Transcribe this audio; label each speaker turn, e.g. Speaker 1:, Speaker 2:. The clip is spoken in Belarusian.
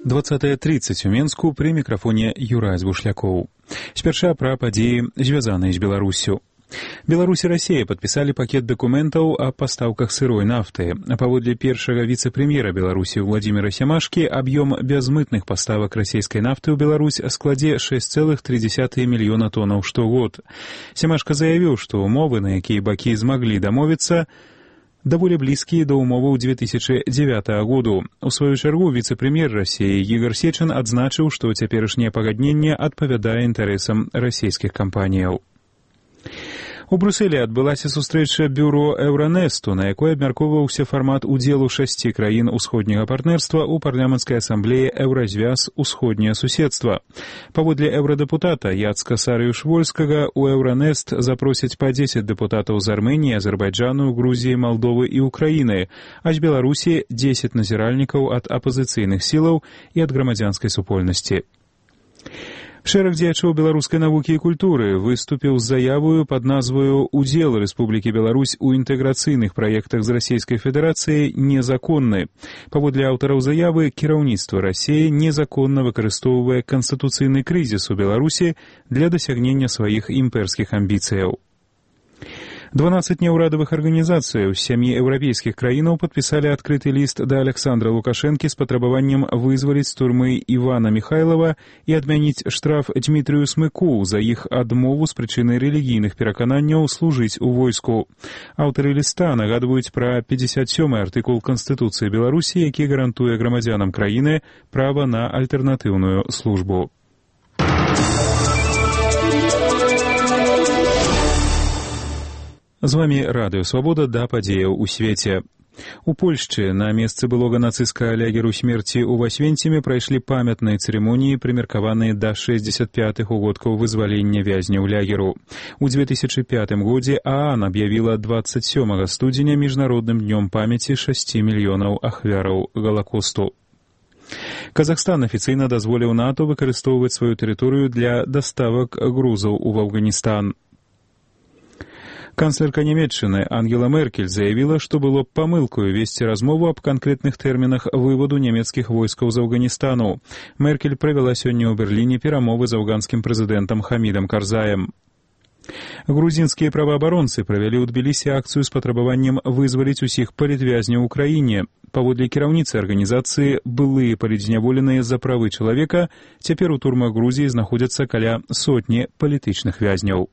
Speaker 1: 20:30 у Менску, пры мікрафоне Юрай Звушлякоў. Спярша пра падзеі, звязаныя з Беларуссю. Беларусь і Расія падпісалі пакет дакументаў о пастаўках сырой нафты. Паводле першага віцэ-прэм'ера Беларусі Владзіміра Сямашкі, аб'ём бязмытных паставак расійскай нафты ў Беларусь складзе 6,3 мільёна тонаў штогод. Сямашка заявіў, што умовы, на якія бакі змаглі дамовіцца, даволі блізкія да умоваў 2009 году. У сваю чаргу віцэ-прэм'ер Расіі Ігор Сечын адзначыў, што цяперашняе пагадненне адпавядае інтарэсам расійскіх кампаніяў. У Брюсселі адбылася сустрэча бюро Еўранесту, на якой абмяркоўваўся фармат удзелу 6 краін усходняга партнерства ў парламенцкай асамблеі Еўразвяз усходняе суседства. Паводле еўрадэпутата Яцка Сарыюш-Вольскага, у Еўранест запросяць па 10 дэпутатаў з Арменіі, Азербайджану, Грузіі, Малдовы і Украіны, а з Беларусі 10 назіральнікаў ад апазіцыйных сілаў і ад грамадзянскай супольнасці. Шэраг дзеячоў беларускай навукі і культуры выступіў з заявою пад назваю «Удзел Рэспублікі Беларусь у інтэграцыйных праектах з Расійскай Федэрацыяй незаконны». Паводле аўтараў заявы, кіраўніцтва Расіі незаконна выкарыстоўвае канстытуцыйны крызіс у Беларусі для дасягнення сваіх імперскіх амбіцыяў. 12 неўрадавых арганізацый з 7 еўрапейскіх краінаў падпісалі адкрыты ліст да Александра Лукашэнкі з патрабаваннем вызваліць з турмы Івана Міхайлава і адмяніць штраф Дмітрыю Смыку за іх адмову з прычыны рэлігійных перакананняў служыць у войску. Аўтары ліста нагадваюць пра 57-й артыкул Канстытуцыі Беларусі, які гарантуе грамадзянам краіны права на альтэрнатыўную службу. З вамі Радыё Свабода, да падзеяў у свеце. У Польшчы на месцы былога нацысцкага лягеру смерці ў Асвенціме прайшлі памятныя цырымоніі, прымеркаваныя да 65-х угодкаў вызвалення вязняў лягеру. У 2005 годзе ААН аб'явіла 27 студзеня міжнародным днём памяці 6 мільёнаў ахвяраў Галакосту. Казахстан афіцыйна дазволіў НАТО выкарыстоўваць сваю тэрыторыю для даставак грузаў у Афганістан. Канцлерка Нямецчыны Ангела Меркель заявіла, што было б памылкаю весці размову аб канкрэтных тэрмінах выводу нямецкіх войскаў з Афганістану. Меркель правяла сёння ў Берліне перамовы з афганскім прэзідэнтам Хамідам Карзаем. Грузінскія праваабаронцы правялі ў Тбілісі акцыю з патрабаваннем вызваліць усіх палітвязняў у краіне. Паводле кіраўніцы арганізацыі, былыя палітзняволеныя за правы чалавека, цяпер у турмах Грузіі знаходзяцца каля сотні палітычных вязняў.